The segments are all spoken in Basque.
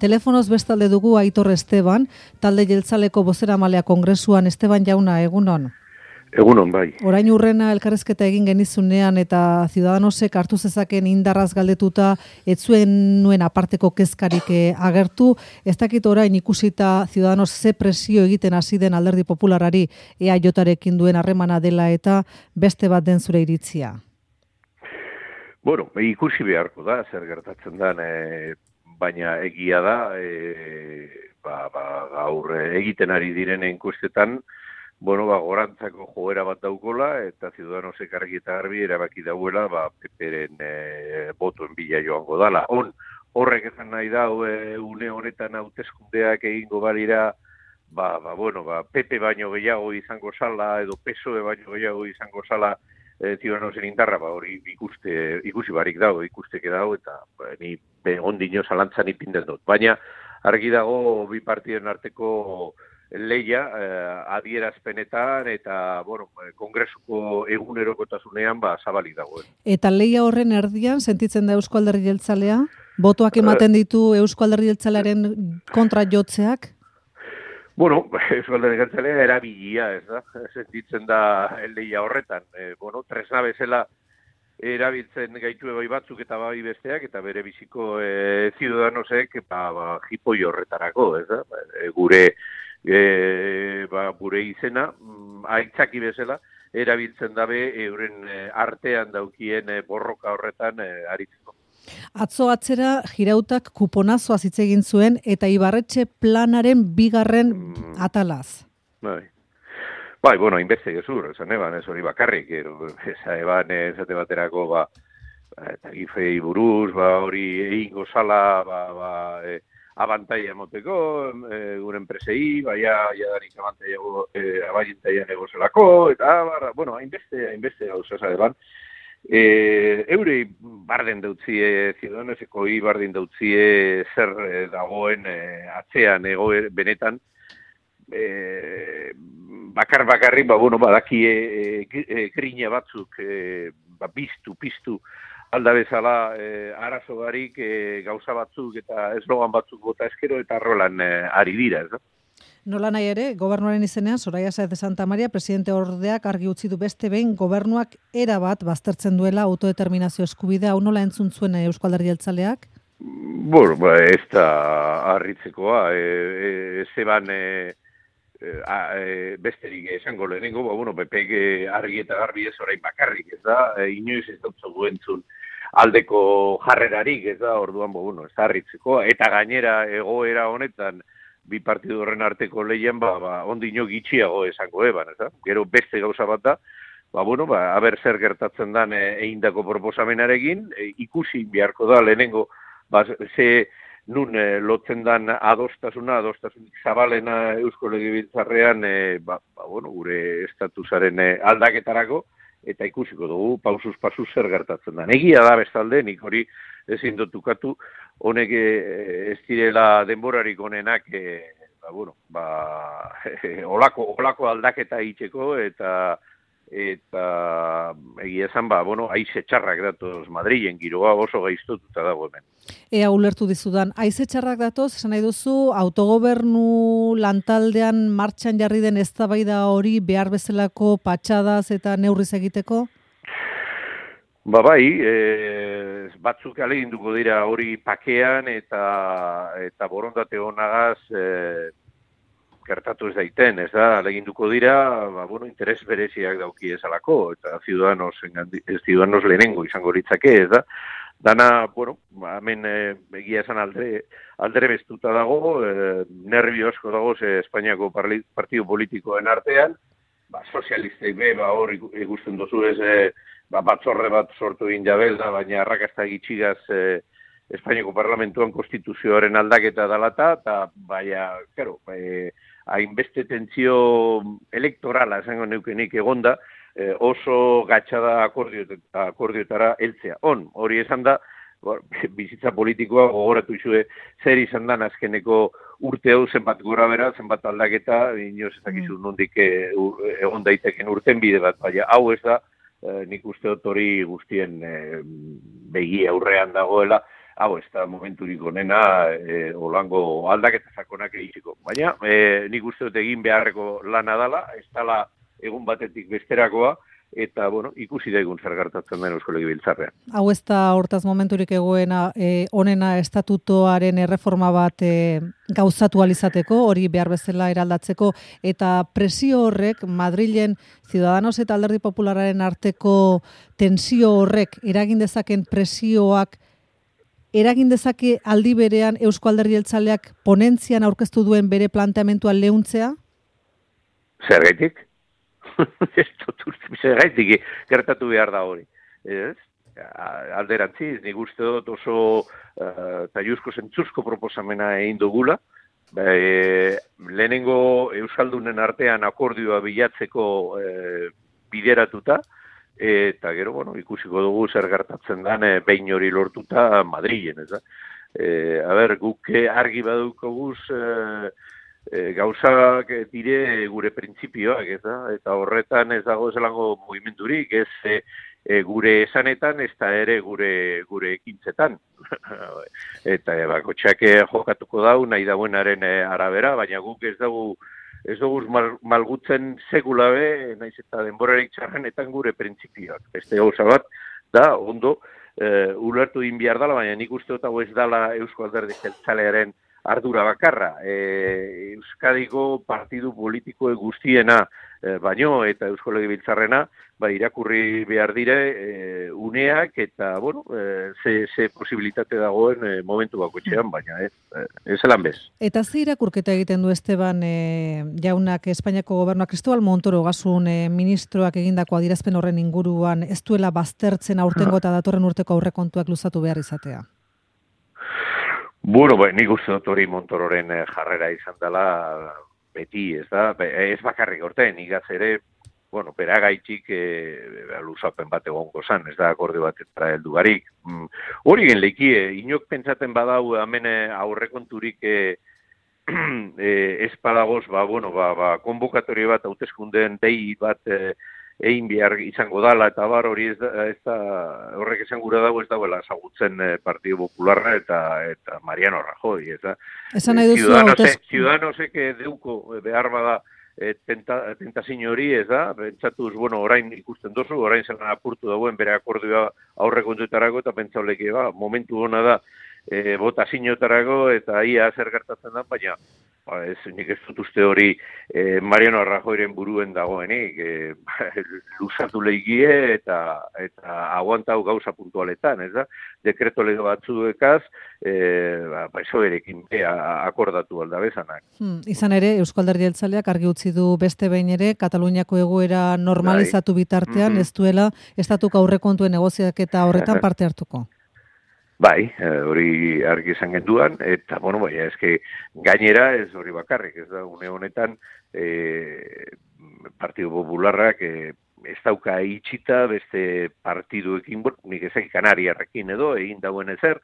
Telefonoz bestalde dugu Aitor Esteban, talde jeltzaleko bozeramalea kongresuan. Esteban jauna, egunon. Egunon, bai. Orain urrena elkarrezketa egin genizunean eta Ciudadanosek hartu zezaken indarraz galdetuta ez zuen nuen aparteko kezkarik agertu. Ez dakit orain ikusita Ciudadanos ze presio egiten hasi den Alderdi Popularari EAJarekin duen harremana dela eta beste bat den zure iritzia. Bueno, ikusi beharko da, zer gertatzen den, baina egia da, gaur egiten ari diren enkuestetan, gorantzako joera bat daukola, eta Ciudadanosek argi eta garbi erabaki dauela, PP-ren botoen bila joango dala. Horrek esan nahi da, une honetan hauteskundeak egingo balira, PP baino gehiago izango sala, edo PSOE baino gehiago izango sala, Ciudadanosen indarra, hori ikusi barik dago, ikusteke dago, eta ni ondino zalantzan ipintzen dut. Baina, argi dago, bi partiden arteko leia adierazpenetan eta, kongresuko egunerokotasunean zabalik dago. Eta leia horren erdian, sentitzen da Eusko Alderdi Jeltzalea? Botoak ematen ditu Eusko Alderdi Jeltzalearen kontra jotzeak? Eusko Alderdi Jeltzalea erabilia, ez da? Sentitzen da leia horretan. Tresna bezala erabiltzen gaitu bai batzuk eta bai besteak, eta bere biziko Ciudadanosek jipoi horretarako, ez da? Gure izena, aitzaki bezala, erabiltzen dabe euren artean daukien borroka horretan aritzeko. Atzo atzera Girautak kuponazoa hitz egin zuen eta Ibarretxe planaren bigarren atalaz. Hainbeste gezur, esan eban, ez hori bakarrik, eban esate baterako, eta gifei buruz, hori egingo sala, abantaia emoteko, gure enpresei, jadanik abaientaian egozelako, eta, hainbeste gauza eban. Eurei barden dautzie, Ciudadanoseko bardin dautzie zer dagoen atzean benetan, bakarrik, badakie grina batzuk piztu alda bezala arazo barik gauza batzuk eta eslogan batzuk bota eskero eta rolan ari dira, ez da? Nola nahi ere, gobernuaren izenean, Soraya Sáez de Santa Maria, presidente ordeak argi utzi du beste behin gobernuak erabat baztertzen duela autodeterminazio eskubidea. Hau nola entzun zuen Eusko Alderdi Jeltzaleak? Ez da harritzekoa. Zeban besterik esango lehenengo, PPk argi eta garbi ez orain bakarrik, ez da? Inoiz ez dut entzun aldeko jarrerarik, ez da? Orduan, ez da harritzekoa. Eta gainera egoera honetan, bi partidu horren arteko lehian, ondino gitxiago esango eban, ez da? Gero beste gauza bat da, aber zer gertatzen dan eindako proposamenarekin, ikusi beharko da lehenengo, ze nun lotzen dan adostasunik zabalena Eusko Legebiltzarrean, gure estatusaren aldaketarako, eta ikusiko dugu, pausuz zer gertatzen dan. Egia da bestalde, nik hori ezin dut ukatu, honek ez direla denborarik honenak, olako aldaketa egiteko, eta egia esan, haize txarrak datoz Madrilen, giroa oso gaiztotuta dago hemen. Ea ulertu dizudan, haize txarrak datoz, esan nahi duzu, autogobernu lantaldean martxan jarri den eztabaida hori behar bezalako patxadaz eta neurriz egiteko? Batzuk aleginduko dira hori pakean eta borondate honagaz gertatu ez daiten, ez da, aleginduko dira, interes bereziak dauki ezalako, eta Ciudadanos lehenengo izango litzake, ez da. Dana, hemen egia esan aldere bestuta dago, nervio asko dago Espainiako partidu politikoen artean, sozialistek hor ikusten dozu ez, batzorre bat sortu egin jabelda, baina arrakasta gitxigaz Espainiako parlamentuan konstituzioaren aldaketa dalata, eta hainbeste tentzio elektorala esango neukenik egonda, oso gatxada akordioetara heltzea. Hori esan da, bizitza politikoa gogoratu izue zer izan dan azkeneko urte hau zenbat gora bera, zenbat aldaketa, inoz ez dakizu nondik egon daiteken urten bide bat, baina hau ez da, nik uste dut hori guztien begi aurrean dagoela, hau ez da momenturik onena olango aldaketa sakonak egiteko. Baina nik uste dut egin beharreko lana dela, ez dela egun batetik besterakoa, eta, bueno, ikusi daigun zer gertatzen den Eusko Legebiltzarrean. Hau ez da hortaz momenturik egoena onena estatutoaren erreforma bat gauzatu alizateko, hori behar bezala eraldatzeko, eta presio horrek Madrilen Ciudadanos eta Alderdi Popularraren arteko tensio horrek eragin dezaken presioak eragin dezake aldi berean Eusko Alderdi Jeltzaleak ponentzian aurkeztu duen bere planteamentua leuntzea? Zergaitik? Zergaitik gertatu behar da hori. Ez? Alderantziz, nik uste dut oso taiuzko zentzuzko proposamena egin dugula. Lehenengo Euskaldunen artean akordioa bilatzeko bideratuta, eta gero, bueno, ikusiko dugu zer gertatzen den behin hori lortuta Madrilen, ez da? Guk argi badukoguz gauzak dire gure printzipioak, eta horretan ez dago zelango mugimendurik, ez gure esanetan, ez da ere gure ekintzetan. Eta bakotxak jokatuko dau, nahi dauenaren arabera, baina guk ez dugu malgutzen segulabe, naiz eta denborarik txarrenetan gure printzipioak. Beste gauza bat, da, ondo, ulertu din behar dela, baina nik uste dut hau ez dela Eusko Alderdi Jeltzalearen ardura bakarra. Euskadiko partidu politiko guztiena baino eta Eusko Legebiltzarrena irakurri behar dire uneak eta, bueno, ze posibilitate dagoen momentu bakoitzean, baina ez elan bez. Eta ze irakurketa egiten du Esteban jaunak Espainiako gobernuak, Cristobal Montoro gasun ministroak egindako adierazpen horren inguruan ez duela baztertzen aurtengo eta datorren urteko aurrekontuak luzatu behar izatea? Bueno, nik uste dut hori Montororen jarrera izan dela beti, ez da? Ez bakarrik orten, igaz ere, bueno, beragaitxik luzapen bat egongo zan, ez da akordio batetara heldu barik. Hori gen lekie, inok pentsaten badau hemen aurrekonturik ez padagoz, konbokatorio bat, hauteskundeen dei bat egin behar izango dala, eta hori ez da horrek esan gura dago ez dagoela ezagutzen Partido Popularra eta Mariano Rajoy, ez da? Esan nahi duzu Ciudadanosek deuko behar bada tentazin hori, ez da? Pentsatuz, bueno, orain ikusten dozu, orain zelan apurtu dagoen bere akordioa aurrekontuetarako, eta pentsauleke, momentu hona da botazinotarako, eta ia zer gertatzen da, baina nik ez dut uste hori Mariano Rajoyren buruen dagoenik, luzatu lehigie eta aguantau gauza puntualetan, ez da? Dekreto lege batzuekaz, esoerekin akordatu aldabezanak. Izan ere, Eusko Alderdi Jeltzaleak argi utzi du beste behin ere, Kataluniako egoera normalizatu bitartean, ez duela estatuko aurrekontuen negoziaketa horretan parte hartuko. Bai, hori argi izan genduan, eta, bueno, eske gainera ez hori bakarrik, ez da, une honetan Partido Popularrak ez dauka itxita beste partiduekin, nik ezak Kanariarrekin edo, egin dagoen ezer,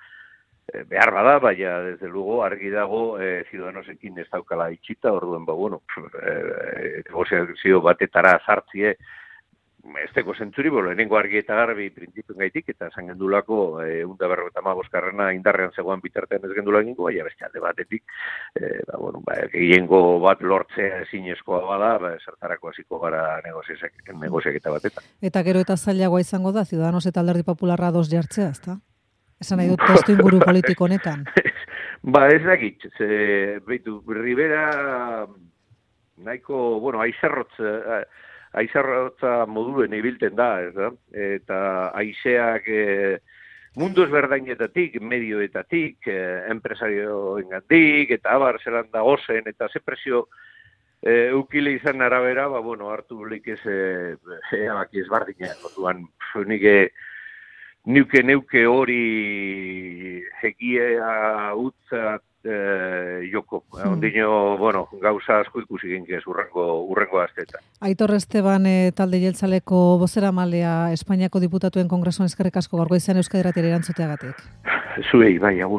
behar bada, baina, desde luego, argi dago Ciudadanosekin ez daukala itxita, orduen, negoziazio batetara sartzie, ez teko zentzuri, lehenengo argi eta garbi printzipioen gaitik, eta esan gendulako 155 indarrean zegoan bitartean ez gendula egingo, baina beste alde batetik, gehiengo bat lortzea ezinezkoa bada, zertarako hasiko gara negoziaketa batetan. Eta gero eta zailagoa izango da, Ciudadanos eta Alderdi Popularra ados jartzea, ezta? Esan nahi dut testu inguru politiko honetan. Ez dakit, behitu, Rivera nahiko, aizarrotza moduen ibilten da, ez da? Eta aizeak mundu ezberdainetatik, medioetatik, enpresarioengatik, eta abar zelan da ozen, eta ze presio eukile izan arabera, hartu lik ez erabaki ezbardinak, orduan neuke hori egia utza joko. Ondino, gauza asko ikusi ginkez urrengo asteetan. Aitor Esteban talde jeltzaleko bozeramalea Espainiako diputatuen kongresuan eskerrik asko gaurko izan Euskadi Irratiari erantzuteagatik. Zuei, bai, agur.